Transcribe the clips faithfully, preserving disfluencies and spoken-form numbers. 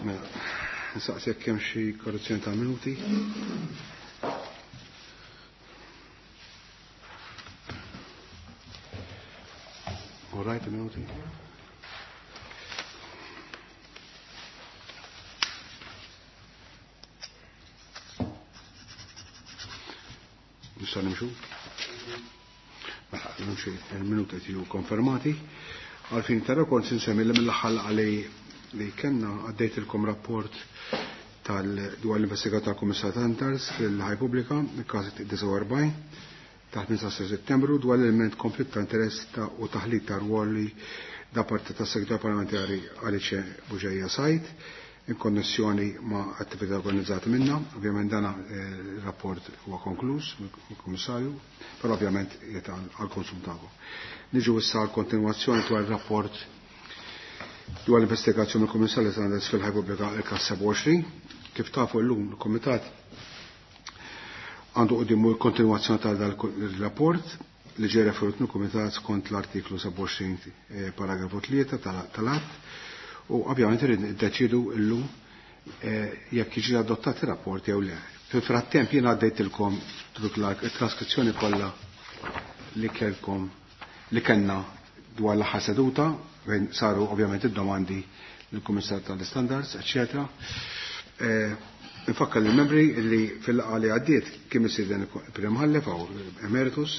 Mela, nsaqsi jekk hemm xi korrezzjoni ta' minuti. All right, minuti. Nista' nimxu? Mela, nimxu il-minuti qed jiġu konfermati. Għalfin ta' kont insemmi li mill-aħħar laqgħa li li kellna għaddejtilkom rapport tal dwar l-investigazzjoni tal-Kummissar Standards fil-Ħaj Pubblika, il-każ disgħa u erbgħin ta' ħmistax ta' Settembru dwar l-element konflitt ta' interess ta' u taħlit ta' rwoli da parti tas-Segretarju Parlamentari Alice Bugeja Said in konnessjoni ma' attività organizzata minna. Ovvjament dan il-rapport huwa konkluż mill-Kummissarju, però ovvjament qiegħed għall-konsum tagħkom. Niġu issa għall-kontinwazzjoni dwar il-rapport dwar l-investigazzjoni mill-Kummissarju Standards fil-Ħaj Pubblika il-każ sebgħa u għoxrin. Kif tafu llum il-Kumitat għandu quddiemu l-kontinwazzjoni ta' dal-rapport li ġie referut mill-Kumitat skont l-artiklu sebgħa u għoxrin paragrafu tlieta tal-att, u ovvjament irid niddeċidu llum jekk jiġi adottat ir-rapport jew le. Fil-frattemp jien għaddejtilkom it-traskrizzjoni kollha li kellkom li kellna dwar l-aħħar seduta fejn saru ovvjament id-domandi lill-Kummissar tal-Standards, eċċetera. Nfakkar lill-membri li fil-laqgħa li għaddiet kien mistieden il-Prim Imħallef jew Emeritus,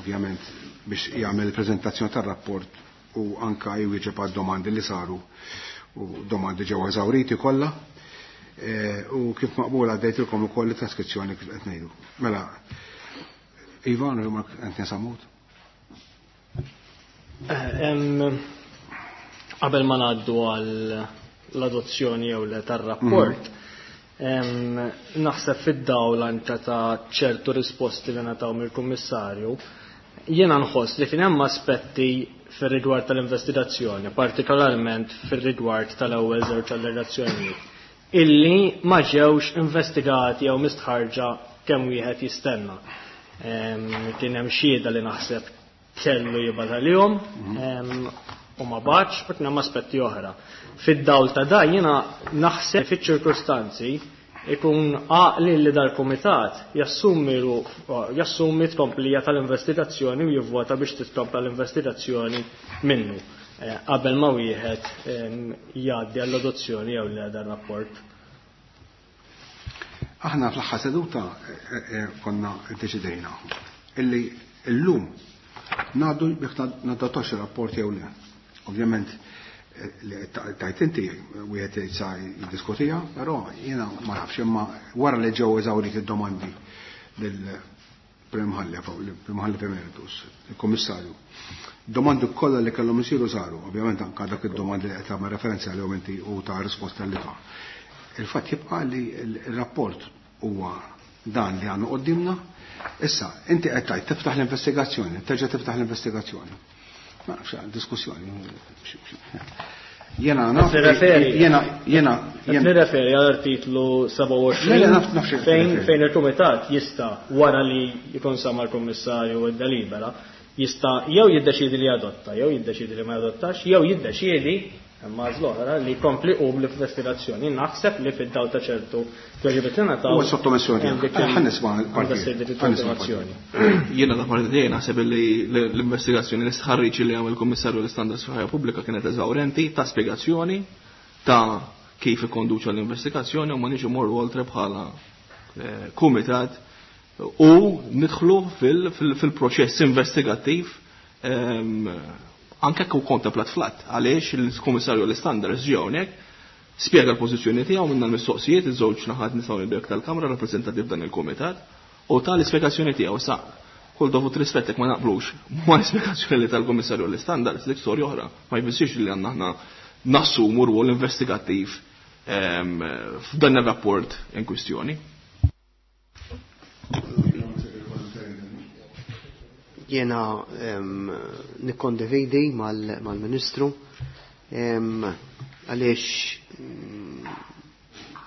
ovvjament biex jagħmel il-preżentazzjoni tar-rapport u anka jwieġeb għad-domandi li saru u domandi ġew eżawriti kollha. U kif maqbul għaddejtilkom ukoll it-traskrizzjoni kif qed ngħidu. Mela, Ivan, Mark Anthony Sammut. Qabel ma ngħaddu għal l-adozzjoni jew le tar-rapport, naħseb fid-dawl anke ta' ċertu risposti li ngħataw mill-Kummissarju, jiena nħoss li kien hemm aspetti fir-rigward tal-investigazzjoni, partikolarment fir-rigward tal-ewwel żewġ allegazzjonijiet, illi ma ġewx investigati jew mistħarġa kemm wieħed jistenna. Kien hemm xhieda li naħseb kellu jibgħat għalihom, u ma bagħatx, u kien hemm aspetti oħra. Fid-dawl ta' dan jiena naħseb fiċ-ċirkustanzi ikun għaqli li dal-kumitat jassumi jassumi tkomplija tal-investigazzjoni u jivvota biex titkompla l-investigazzjoni minnu qabel ma wieħed jgħaddi għall-adozzjoni jew le dan rapport. Aħna fl-aħħar seduta konna ddeċidejna illi llum ngħaddu biex nadottax ir-rapport jew le. Ovvjament li tajt inti wieħed sa jiddiskutija, però jiena ma nafx imma wara li ġew eżawriti id-domandi lill-Prim Imħallef jew lill-Prim Imħallef Emeritus, il-Kummissarju. Domandi kollha li kellhom isiru saru, ovvjament anke dak id-domandi li qed tagħmel referenza għalihom inti u ta' risposta li ta'. Il-fatt jibqa' li l-rapport huwa dan li għandna qudiemna. Issa, inti qed tgħid tiftaħ l-investigazzjoni, terġa' tiftaħ l-investigazzjoni. Ma nafx, diskussjoni. Jena naf, jena, jena, jena. Nirreferi għal artiklu sebgħa u għoxrin Le, le, naf, naf xejn fejn, nirreferi. fejn il-Kumitat jista' wara li jkun sama l-Kummissarju u d-delibera, jista' jew jiddeċiedi li jadotta, jew jiddeċiedi li ma jadottax, jew jiddeċiedi imma għażla oħra li jkompli qum l-investigazzjoni. Naħseb li fid-dawl ta' ċertu tweġibiet li ngħataw Huwa sottomissjoni hemm dik tiegħek. Ħa nisma' l-parti. għandha ssir dik Ħa nisma' il-kontinwazzjoni. l-parti. Jiena ta' parti tiegħi naħseb li l-investigazzjoni l-istħarriġ li għamel il-Kummissarju l-Istandards fil-Ħajja Pubblika kienet eżawrenti ta' spjegazzjoni ta' kif ikkonduċa l-investigazzjoni u ma niġu morru oltre bħala kumitat u nidħlu fil-proċess investigattiv anke kif kontemplat flat għaliex il-Kummissarju l-Istandards ġie hawnhekk spjega l-pożizzjoni tiegħu minna l-mistoqsijiet iż-żewġ naħat nistgħu nibdek tal-Kamra rappreżentati f'dan il-kumitat u ta' l-ispjegazzjoni tiegħu sa kull dovut rispett jekk ma naqblux ma l-ispjegazzjoni li tal-Kummissarju l-Istandards dik storja oħra ma jfissirx li għandna aħna nassumu rwol investigattiv f'dan ir-rapport in kwistjoni. Jena nikkondividi mal-Ministru għaliex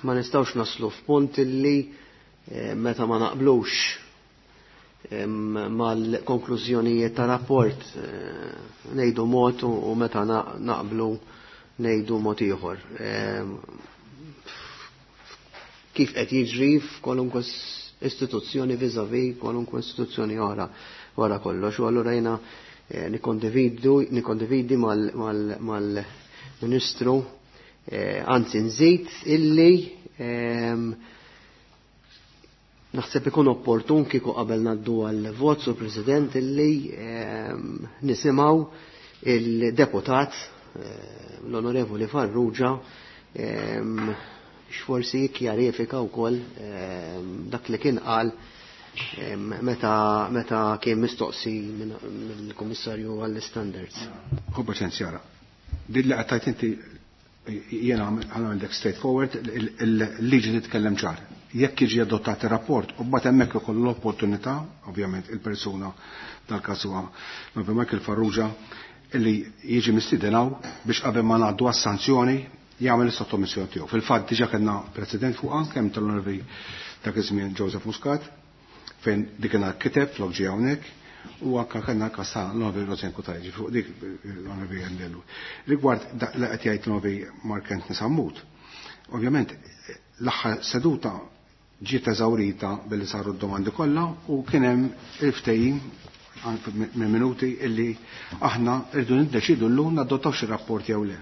ma nistgħux naslu f'punt illi meta ma naqblux mal-konklużjonijiet ta' rapport ngħidu mod u meta naqblu ngħidu mod ieħor. Kif qed jiġri f'kwalunkwe istituzzjoni vis-à-vis kwalunkwe istituzzjoni oħra wara kollox, u allura jiena nikkondividu nikkondividi mal-Ministru, anzi nżid illi naħseb ikun opportun kieku qabel ngħaddu għal-vot sur President illi nisimgħu il-deputat l-Onorevoli Farrugia x'forsi jikkjarifika wkoll dak li kien qal meta meta kien mistoqsi mill-Kummissarju għall-Standards. Hu paċenzjara. Din li qed inti jiena għandek straightforward, il-liġi titkellem ċar. Jekk jiġi adottat ir-rapport u mbagħad hemmhekk ikollu l-opportunità, ovvjament il-persuna tal-każ huwa Michael Farrugia, illi jiġi mistiedenaw biex qabel ma ngħaddu għas-sanzjoni jagħmel is-sottomissjoni tiegħu. Fil-fatt diġà kellna president fuqha kemm tal-Onorevoli dak iż-żmien Joseph Muscat, fejn dik kien kiteb flok ġie hawnhekk, u anke kellna każ ta' l-Onorevoli Rosen Kutajġi fuq dik l-Onorevoli Endellu. Rigward dak li qed jgħid l-Onorevoli Mark Anthony Sammut, ovvjament l-aħħar seduta ġiet eżawrita billi saru d-domandi kollha u kien hemm il-ftehim minn minuti illi aħna rridu niddeċidu llum nadottaw xi rapport jew le.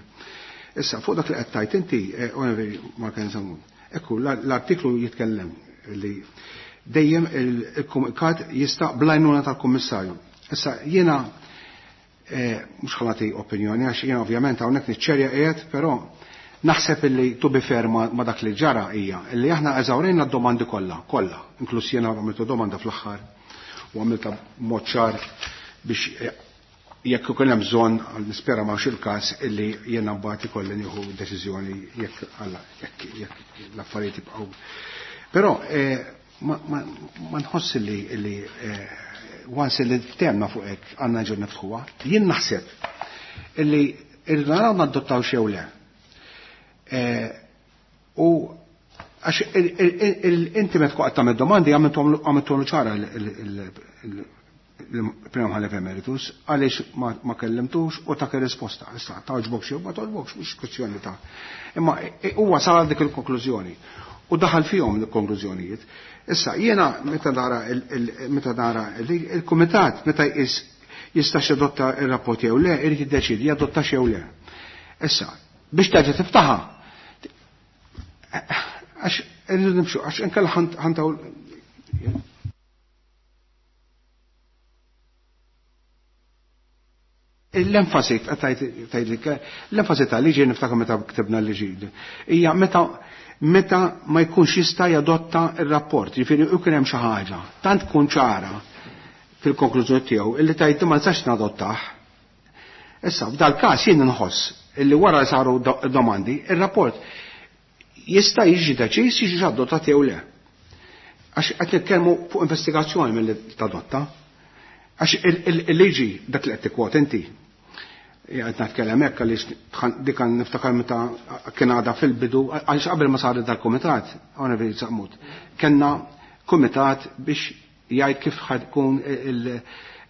Issa fuq dak li qed tajt inti, Onorevoli Mark Anthony Sammut, ekku l-artiklu jitkellem li dejjem il-kumitat jista' bl-għajnuna tal-kummissarju. Issa jiena mhux ħalati opinjoni għax jiena ovvjament hawnhekk niċċerja qiegħed, però naħseb illi to be fair ma dak li ġara hija illi aħna eżawrejna d-domandi kollha, kollha, inkluż jiena għamiltu domanda fl-aħħar u għamilta mod ċar biex jekk ikun hemm bżonn, nispera ma il-każ illi jiena mbagħad ikolli nieħu deċiżjoni jekk alla jekk jekk l-affarijiet jibqgħu. Però ma nħoss li li once li ftemna fuq hekk għandna ġur niftħuha, jien naħseb illi irridu naraw nadottaw xew le. U għax inti meta tkun tagħmel domandi għamilthom ċara il-Prim Mħallef Emeritus għaliex ma kellimtux u tak ir-risposta. Issa togħġbok xi ma togħġbokx mhux kwestjoni ta'. Imma huwa sar dik il-konklużjoni u daħal fihom il-konklużjonijiet. Issa jiena meta nara meta nara il-kumitat meta jqis jistax jadotta ir-rapport jew le, irid jiddeċiedi jadotta jew le. Issa biex terġa' tiftaħha għax irridu nimxu, għax inkella ħantaw. L-enfasi tgħidlik, l-enfasi tal-liġi niftakar meta ktibna l-liġi hija meta meta ma jkunx jista' jadotta r-rapport, jiġifieri jkun hemm xi ħaġa tant tkun ċara fil-konklużjoni tiegħu illi tgħid ma nistax nadottah. Issa f'dal-każ jien nħoss illi wara li saru domandi, ir-rapport jista' jiġi deċiż jiġi adottat jew le. Għax qed nitkellmu fuq investigazzjoni milli tadotta. Għax il-liġi dak li qed tikkwot inti. Qed nitkellem hekk għaliex dik niftakar meta kien għadha fil-bidu, għaliex qabel ma saret dal-kumitat, Onorevoli Sammut, kellna kumitat biex jgħid kif ħadkun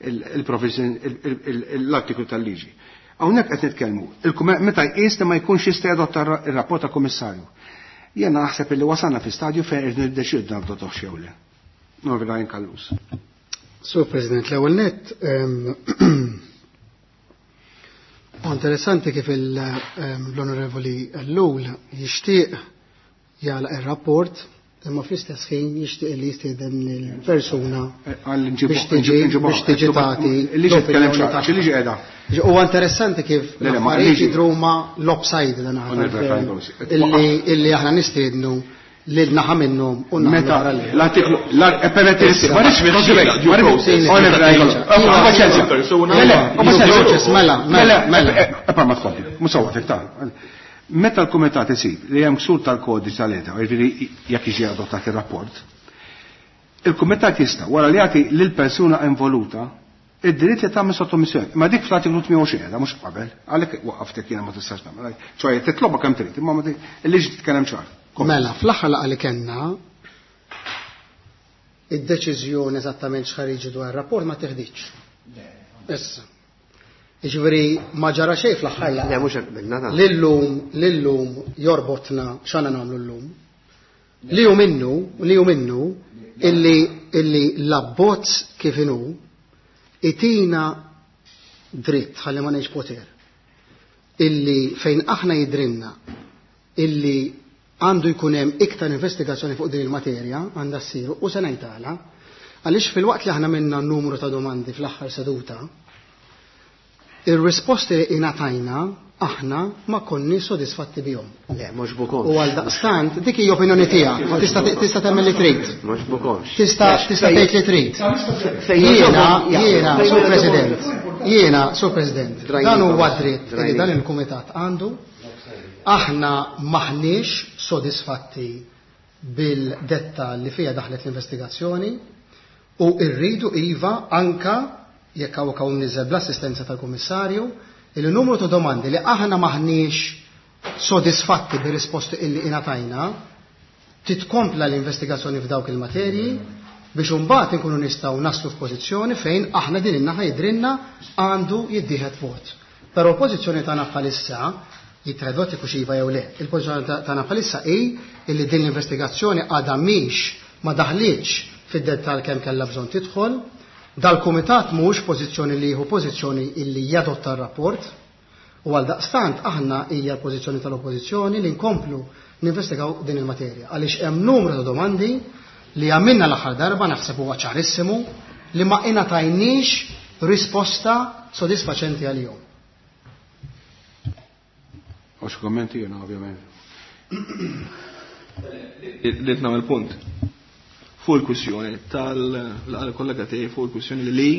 il-provision l-artiklu tal-liġi. Hawnhekk qed nitkellmu, meta jqis li ma jkunx jista' jadotta r-rapport tal-Kummissarju. Jiena naħseb illi wasalna fi stadju fejn irridu niddeċiedu nadottaw xew le. Norvila Kallus. Sur President, l-ewwel nett interessanti kif l-Onorevoli Ellul jixtieq jagħlaq ir-rapport imma fl-istess ħin jixtieq li jistieden lill-persuna biex tiġi biex tiġi tagħti Il-liġi tkellem ċar, il-liġi qiegħda. Huwa interessanti kif l-affarijiet jidhru huma l-offside dan illi illi aħna nistiednu lil naħa minnhom u meta l-artiklu permetti ma rridx mela mela mela ma tkompli mhux sewwa ta' meta l-kumitat isib li hemm ksur tal-kodiċi tal-etika, jiġifieri jekk jiġi adottat ir-rapport, il-kumitat jista' wara li jagħti lill-persuna involuta id-dritt li tagħmel sottomissjoni. Ma dik fl-artiklu tmien u għoxrin mhux qabel, għalhekk waqaftek jiena ma tistax tagħmel. Ċoj titlobha kemm trid, imma il-liġi titkellem ċar. Mela, fl-aħħar laqgħa li kellna id-deċiżjoni eżattament x'ħariġi dwar ir-rapport ma teħdiċ. Issa. Jiġifieri ma ġara xejn fl-aħħar laqgħa. Le mhux hekk qbilna. Lillum lillum jorbotna x'għandna nagħmlu llum. Li hu minnu, li hu minnu illi illi l-abbozz kif inhu itina dritt ħalli ma ngħidx poter. Illi fejn aħna jidrinna illi għandu jkun hemm iktar investigazzjoni fuq din il-materja għandha ssir u se ngħidala għaliex fil-waqt li aħna minna numru ta' domandi fl-aħħar seduta, ir-risposti li ingħatajna aħna ma konniex sodisfatti bihom. Le, mhux bukomx. U għal daqstant, dik hija opinjoni tiegħek, tista' tista' tagħmel li trid. Mhux bukomx. Tista' tista' tgħid li trid. Jiena, jiena, Sur President, jiena, Sur President, dan huwa dritt li dan il-kumitat għandu. Aħna maħniex sodisfatti bil-detta li fija daħlet l-investigazzjoni u rridu iva anka jekk hawn hawn niżel bl-assistenza tal-Kummissarju il-numru ta' domandi li aħna maħniex sodisfatti bir-risposti illi ingħatajna titkompla l-investigazzjoni f'dawk il-materji biex imbagħad inkunu nistgħu naslu f'pożizzjoni fejn aħna din in-naħa jidrinna għandu jiddieħed vot. Però l-pożizzjoni tagħna bħalissa jittieħed vot jekk iva jew le. Il-pożizzjoni tagħna bħalissa hi illi din l-investigazzjoni għadha mhix ma daħlitx fid-dettall kemm kellha bżonn tidħol. Dal-kumitat mhux pożizzjoni li jieħu pożizzjoni illi jadotta r-rapport u għal daqstant aħna hija l-pożizzjoni tal-oppożizzjoni li nkomplu ninvestigaw din il-materja għaliex hemm numru ta' domandi li għamilna l-aħħar darba naħseb huwa ċarissimu li ma ingħatajniex risposta sodisfaċenti għalihom. Għax kommenti jiena ovvjament. Rrid nagħmel punt fuq il-kwissjoni tal-kollega tiegħi fuq il-kwissjoni li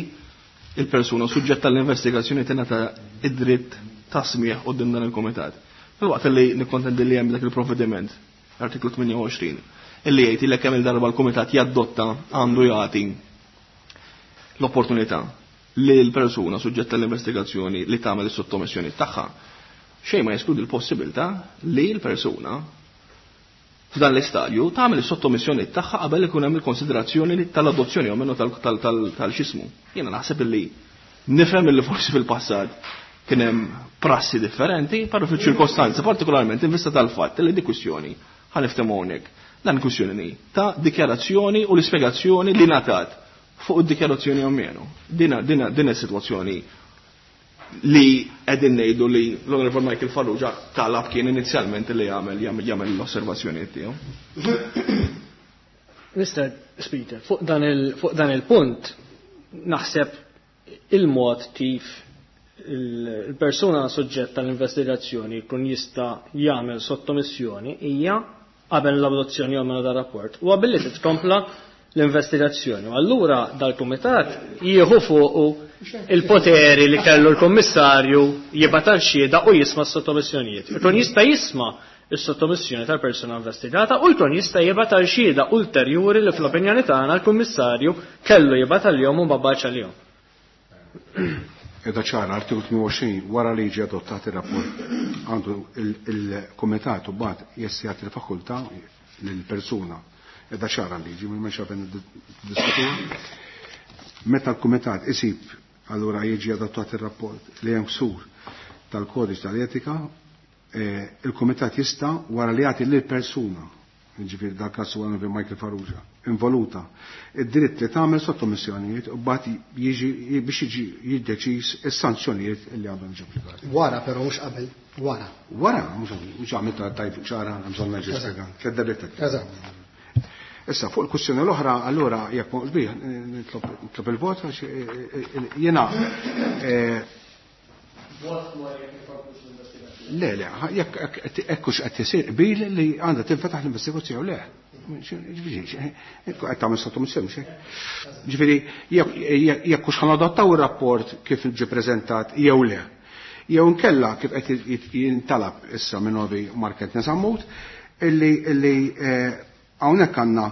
il-persuna suġġett tal-investigazzjoni tingħata id-dritt ta' smigħ quddiem dan il-kumitat. Filwaqt li nikkontendi li hemm dak il-provvediment, artiklu tmienja u għoxrin, illi jgħid li kemm il-darba l-kumitat jadotta għandu jagħti l-opportunità li l-persuna suġġett tal-investigazzjoni li tagħmel is-sottomissjoni tagħha. Xejn ma jeskludi l-possibilità li l-persuna f'dan l-istadju tagħmel is-sottomissjoni tagħha qabel ikun hemm il-konsiderazzjoni tal-adozzjoni jew minnu tal-xismu. Jiena naħseb illi nifhem illi forsi fil-passat kien hemm prassi differenti, però fiċ-ċirkostanza partikolarment in vista tal-fatt li di kwistjoni ħa niftehmu hawnhekk. Dan kwistjoni ta' dikjarazzjoni u l-ispjegazzjoni li ngħatat fuq id-dikjarazzjoni jew menu. Dina dina din is-sitwazzjoni li qegħdin ngħidu li l-Onorevol Michael Farrugia talab kien inizjalment li jagħmel jagħmel l-osservazzjonijiet tiegħu. Mister Speaker, fuq dan il fuq dan il-punt naħseb il-mod kif il-persuna suġġett tal-investigazzjoni jkun jista' jagħmel sottomissjoni hija qabel l-adozzjoni jew mela dar-rapport huwa billi titkompla l-investigazzjoni. U allura dal-kumitat jieħu fuqu il-poteri li kellu l-kummissarju jibgħat għal xhieda u jisma' s-sottomissjonijiet. Ikun jista' jisma' s-sottomissjoni tal-persuna investigata u jkun jista' jibgħat għal xhieda ulterjuri li fl-opinjoni tagħna l-kummissarju kellu jibgħat għalihom u ma bagħatx għalihom. Edha ċara, artiklu tmien u għoxrin wara li jiġi adottat ir-rapport għandu il-kumitat u mbagħad jessi jagħti l-fakultà lill-persuna. Edha ċara l-liġi, minn ma xafen diskutu. Meta l-kumitat isib allura jiġi adottat ir-rapport li hemm ksur tal-kodiċ tal-etika, il-kumitat jista' wara li jagħti lill-persuna, jiġifieri dak każ huwa Michael Farrugia, involuta, id-dritt li tagħmel sottomissjonijiet u mbagħad jiġi biex jiġi jiddeċiż is-sanzjonijiet li għandhom jiġu applikati. Wara però mhux qabel, wara. Wara, mhux għamilta tajb ċara, hemm bżonn nerġa' nispjega. Tliet darbiet. Eżatt. Issa fuq il-kwistjoni l-oħra, allura jekk ma bih nitlob il-vot għax jiena le le, jekk hekk hux qed isir qbil li għandha tinfetaħ l-investigazzjoni jew le. Ġifieri qed tagħmel sottomissjoni mhux hekk. Ġifieri jekk hux ħanadottaw ir-rapport kif ġie preżentat jew le. Jew inkella kif qed jintalab issa minn Novi Market Nesammut illi illi hawnhekk għandna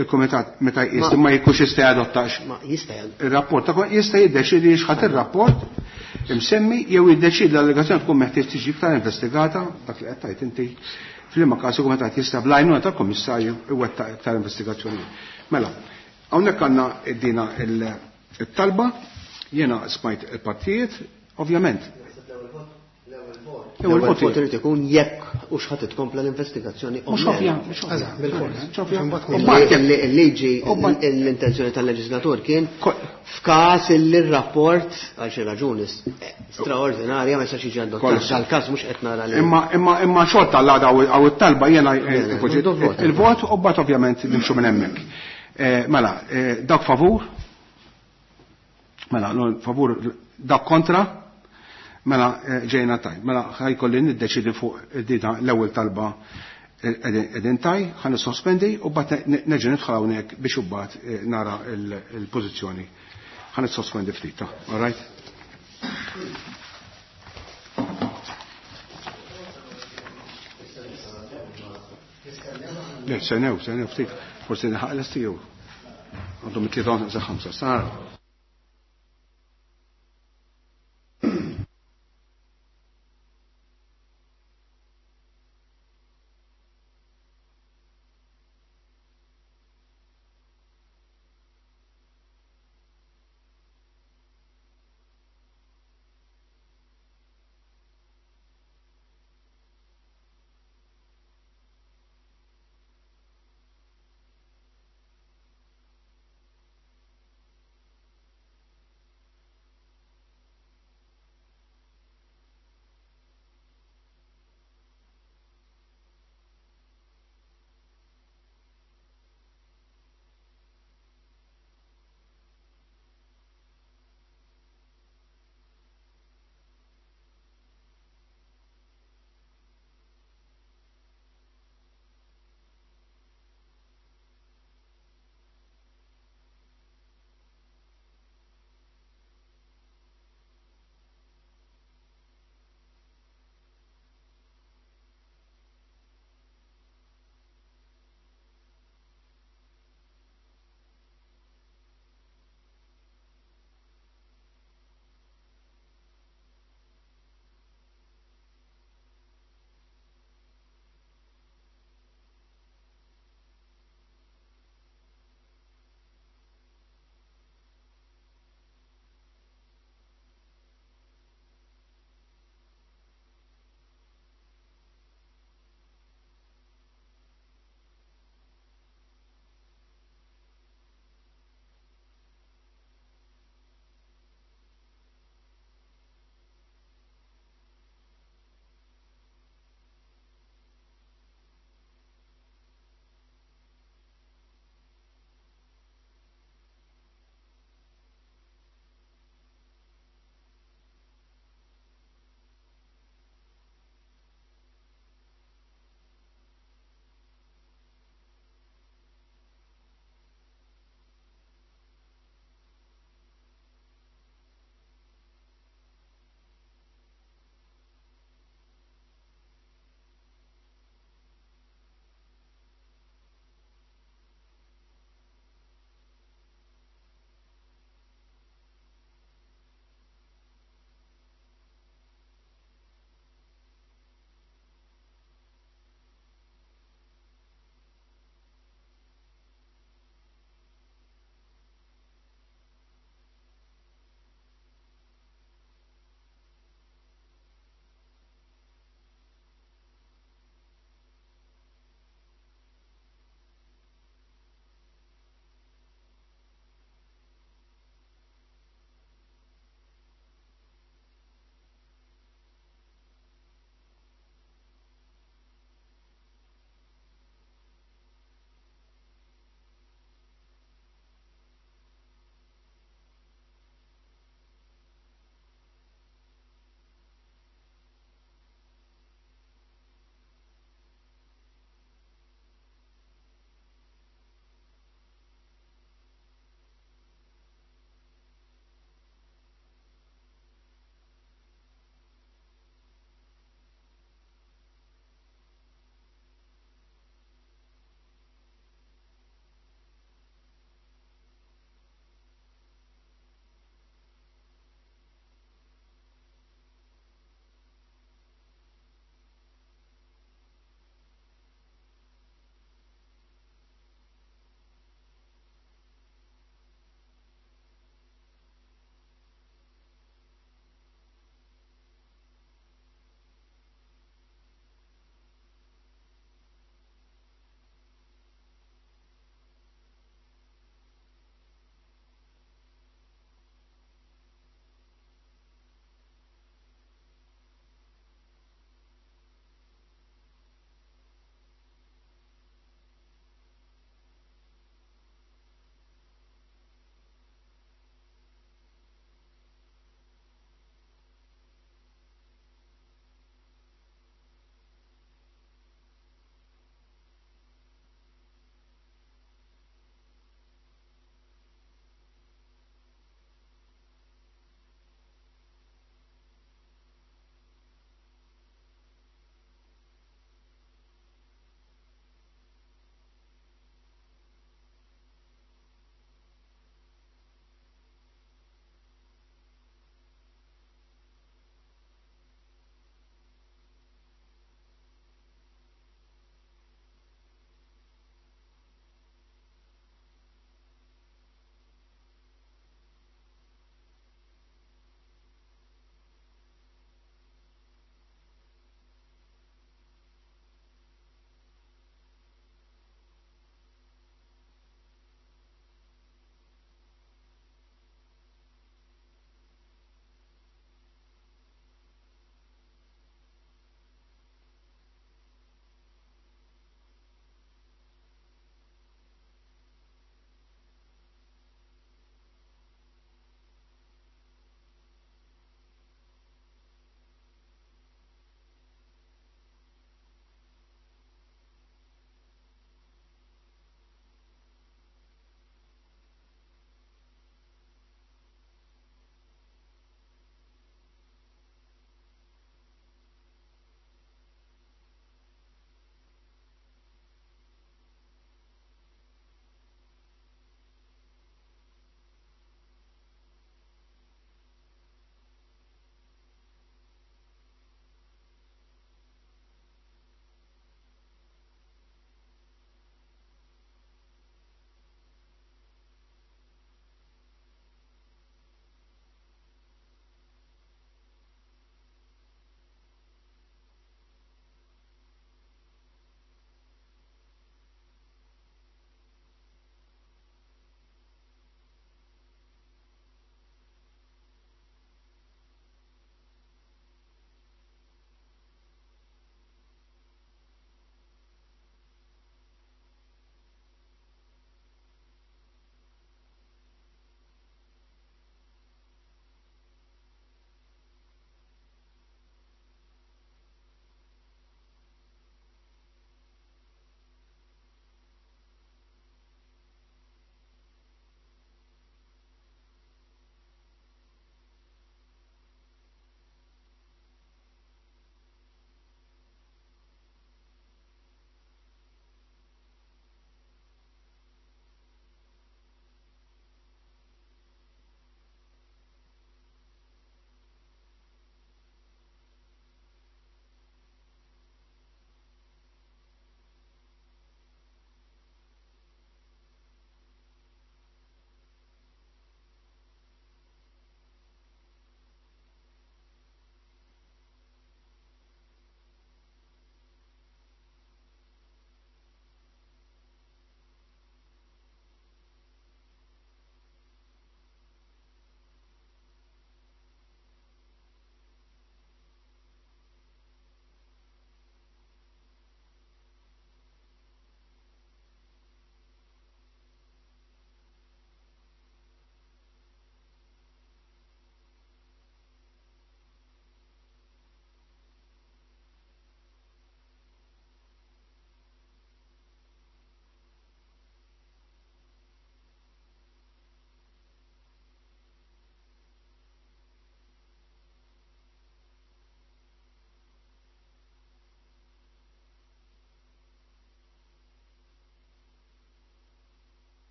il-kumitat meta jqis ma jkunx jista' jadottax. Ma jista' ir-rapport ta' jista' jiddeċiedi x'ħadd ir-rapport imsemmi jew jiddeċiedi l-allegazzjoni tkun meħtieġ tiġi iktar investigata dak li qed tgħid inti f'liema każ il-kumitat jista' bl-għajnuna tal-kummissarju iwettaq iktar investigazzjoni. Mela, hawnhekk għandna dina it-talba, jiena smajt il-partijiet, Ovvjament. L-ewwel vot irid ikun jekk u x'ħadd tkompla l-investigazzjoni. Mhux ovvja, mhux ovvja. Il-liġi, l-intenzjoni tal-leġislatur kien f'każ li r-rapport għal xi raġuni straordinarja ma jistax jiġi adottat. Dal-każ mhux qed nara li. Imma imma imma xorta l-għada għaw it-talba jiena il-vot u mbagħad ovvjament nimxu minn hemmhekk. Mela, dak favur? Mela, favur dak kontra? Mela ġejna taj. Mela ħajkolli niddeċidi fuq dita l-ewwel talba qegħdin taj, ħa nissospendi u mbagħad nerġa' nidħol hawnhekk biex imbagħad nara l-pożizzjoni. Ħa nissospendi ftit, all right? Le, senew, senew ftit. Forsi nħaq l-estiju. Għandhom it-tlieta ħamsa. Sara.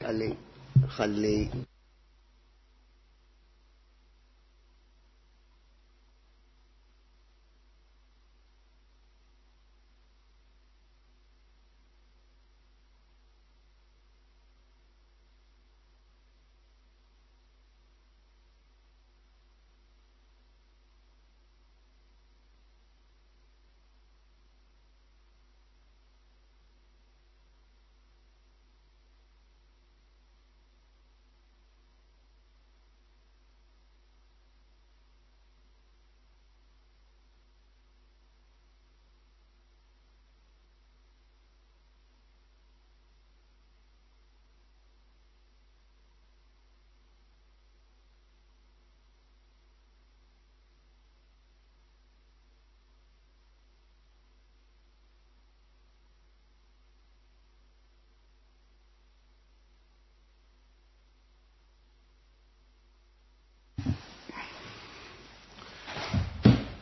Ħalli ħalli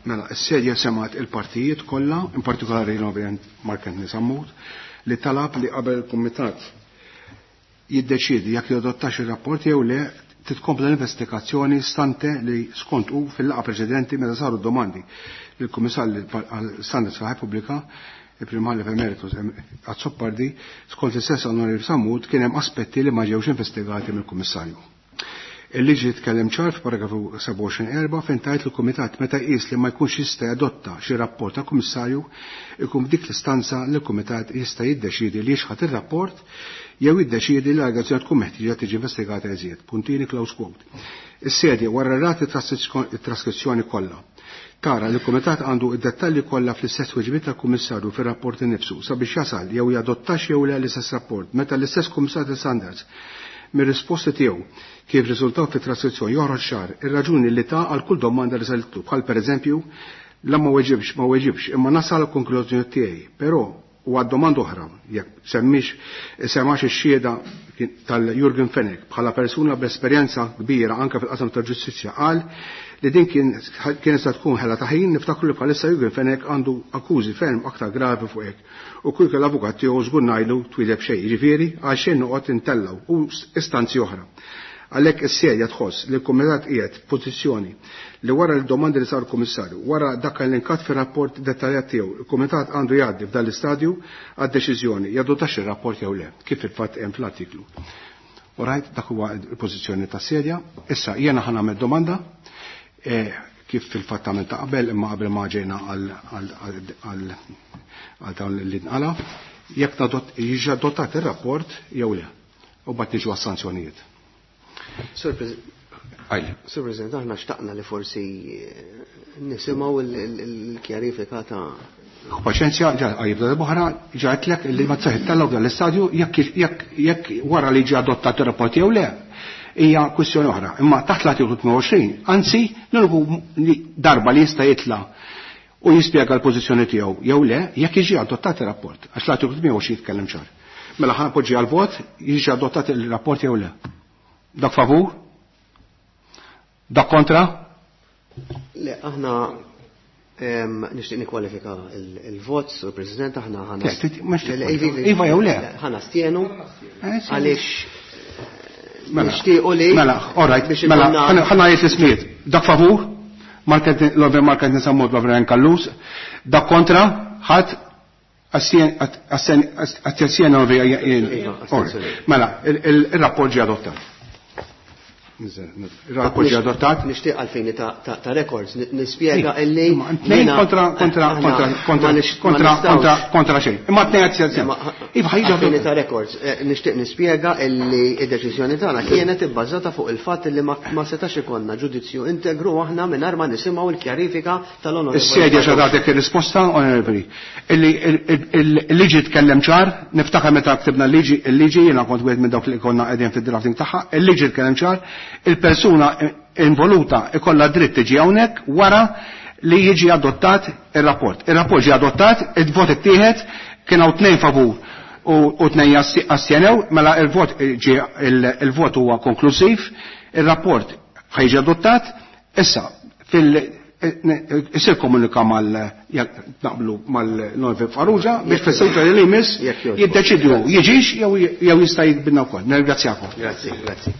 Mela, s-sedja semat il-partijiet kollha, in partikolari l-Onorevoli Mark Anthony Sammut, li talab li qabel il-Kumitat jiddeċiedi jekk jadottax ir-rapport jew le titkompla l-investigazzjoni stante li skont hu fil-laqgħa preċedenti meta saru domandi lill-Kummissarju għall-Standards tal-Repubblika, il-Prim Imħallef Emeritus Azzopardi, skont l-istess Onorevoli Sammut kien hemm aspetti li ma ġewx investigati mill-Kummissarju. Il-liġi tkellem ċar f'paragrafu sebgħa u għoxrin erba' fejn tgħid il-Kumitat meta jqis li ma jkunx jista' jadotta xi rapport tal-Kummissarju ikun f'dik l-istanza li l-Kumitat jista' jiddeċiedi li jixħat ir-rapport jew jiddeċiedi li l-allegazzjoni tkun meħtieġa tiġi investigata eżjed. Puntini close quote. Is-sedja wara rati it-traskrizzjoni kollha tara li l-Kumitat għandu id-dettalji kollha fl-istess weġibiet tal-Kummissarju fir-rapport innifsu sabiex jasal jew jadottax jew le l-istess rapport meta l-istess Kummissarju Standards mir-risposti tiegħu kif riżultaw fit-traskrizzjoni joħroġ ċar ir-raġuni li ta' għal kull domanda li salitlu bħal pereżempju la ma weġibx ma weġibx imma nasal għall-konklużjoni tiegħi, però u għad domanda oħra jekk semmix semax ix-xhieda tal-Jurgen Fenech bħala persuna b'esperjenza kbira anke fil-qasam tal-ġustizzja qal li din kien se tkun ħela ta' ħin niftakru li bħalissa Jurgen Fenech għandu akkużi ferm aktar gravi fuq hekk u kull l-avukat tiegħu żgur ngħidu twileb xejn, jiġifieri għal xejn noqgħod intellgħu u istanzi oħra. Għalhekk is-serja tħoss li l-Kumitat qiegħed f'pożizzjoni li wara l-domandi li sar kummissarju, wara dak l-inkat fir-rapport dettaljat tiegħu, il-Kumitat għandu jgħaddi f'dan l-istadju għad-deċiżjoni jadottax ir-rapport jew le, kif il-fatt hemm fl-artiklu. Orajt, dak huwa l-pożizzjoni tas-serja. Issa jiena ħa nagħmel domanda kif fil-fatt għamil ta' qabel imma qabel ma ġejna għal dawn li nqala, jekk jiġi adottat ir-rapport jew le, u mbagħad niġu għas-sanzjonijiet. Sur President, aħna xtaqna li forsi nisimgħu l-kjarifika ta' Paċenzja, jibda l-boħra, ġaħetlek li ma tsaħit tal dan l-istadju jekk wara li ġi adottat ir-rapport jew le. Hija kwistjoni oħra. Imma taħt l-artiklu tmien u għoxrin, anzi, l-uniku darba li jista' jitla' u jispjega l-pożizzjoni tiegħu jew le jekk jiġi adottat ir-rapport. Għax l-artiklu tmien u għoxrin jitkellem ċar. Mela ħa poġġi għal-vot, jiġi adottat ir-rapport jew le. Dak favur? Dak kontra? Le, aħna nixtieq nikkwalifika il-vot, Sur President, aħna ħana. Iva jew le? Ħana stienu għaliex nixtiequ li. Mela, all right, mela, ħana jgħid l-ismijiet. Dak favur? L-Onorevoli Mark Anthony Sammut, l-Onorevoli Callus. Dak kontra? Ħadd astensjoni. Mela, il-rapport ġie adottat. Il-rapport ġie adottat. Nixtieq għalfejn ta' records nispjega illi tnejn kontra kontra kontra kontra kontra kontra xejn. Imma tnejn astensjoni. Iva ħajġi għalfejn ta' records nixtieq nispjega illi id-deċiżjoni tagħna kienet ibbażata fuq il-fatt illi ma setax ikollna ġudizzju integru aħna mingħajr ma nisimgħu l-kjarifika tal-onorevoli. Is-sedja x'għadatek ir-risposta, onorevoli. Illi il-liġi tkellem ċar, niftakar meta ktibna l-liġi, il-liġi jiena kont wieħed minn dawk li konna qegħdin fid-drafting tagħha, il-liġi tkellem ċar, il-persuna involuta ikollha dritt tiġi hawnhekk wara li jiġi adottat ir-rapport. Ir-rapport ġie adottat, il-vot ittieħed, kien hawn tnejn favur u tnejn astjenew, mela il-vot ġie il-vot huwa konklusiv, ir-rapport ħajġi adottat, issa fil Isir komunika mal naqblu mal-Norve Farrugia biex fis-seduta li jmiss jiddeċidu jiġix jew jista' jikbinna wkoll. Nirringrazzjakom. Grazzi, grazzi.